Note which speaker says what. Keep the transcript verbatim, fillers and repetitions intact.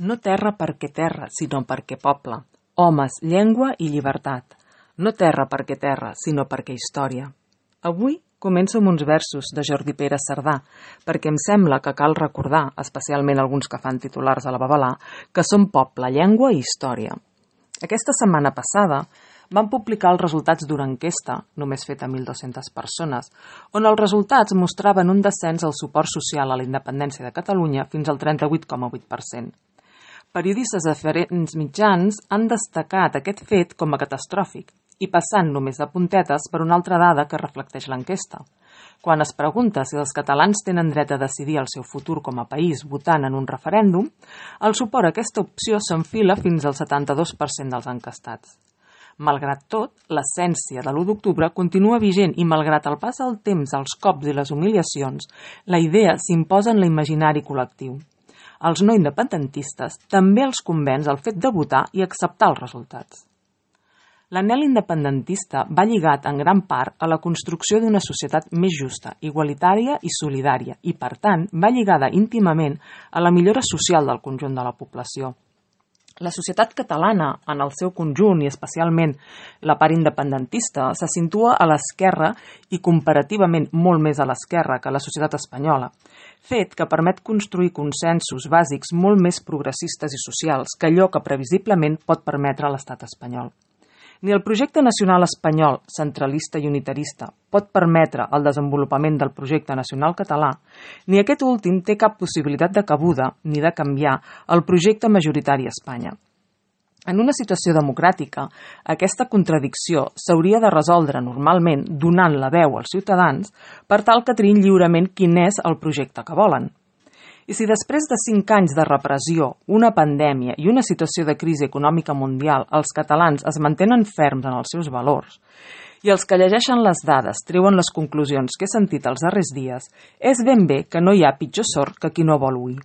Speaker 1: No terra perquè terra, sinó perquè poble. Homes, llengua i llibertat. No terra perquè terra, sinó perquè història. Avui començo amb uns versos de Jordi Pere Cerdà, perquè em sembla que cal recordar, especialment alguns que fan titulars a la babalà, que som poble, llengua i història. Aquesta setmana passada van publicar els resultats d'una enquesta, només feta a mil dues-centes persones, on els resultats mostraven un descens al suport social a la independència de Catalunya fins al trenta-vuit coma vuit per cent. Periodistes de diferents mitjans han destacat aquest fet com a catastròfic i passant només de puntetes per una altra dada que reflecteix l'enquesta. Quan es pregunta si els catalans tenen dret a decidir el seu futur com a país votant en un referèndum, el suport a aquesta opció s'enfila fins al setanta-dos per cent dels encastats. Malgrat tot, l'essència de l'u d'octubre continua vigent i malgrat el pas del temps, els cops i les humiliacions, la idea s'imposa en l'imaginari col·lectiu. Els no independentistes també els convenç el fet de votar i acceptar els resultats. L'anhel independentista va lligat en gran part a la construcció d'una societat més justa, igualitària i solidària i, per tant, va lligada íntimament a la millora social del conjunt de la població. La societat catalana, en el seu conjunt i especialment la part independentista, se situa a l'esquerra i comparativament molt més a l'esquerra que la societat espanyola, fet que permet construir consensos bàsics molt més progressistes i socials que allò que previsiblement pot permetre l'estat espanyol. Ni el projecte nacional espanyol, centralista i unitarista, pot permetre el desenvolupament del projecte nacional català, ni aquest últim té cap possibilitat de cabuda ni de canviar el projecte majoritari a Espanya. En una situació democràtica, aquesta contradicció s'hauria de resoldre normalment donant la veu als ciutadans per tal que triïn lliurement quin és el projecte que volen. I si després de cinc anys de repressió, una pandèmia i una situació de crisi econòmica mundial els catalans es mantenen ferms en els seus valors i els que llegeixen les dades treuen les conclusions que he sentit els darrers dies, és ben bé que no hi ha pitjor sort que qui no vol oir.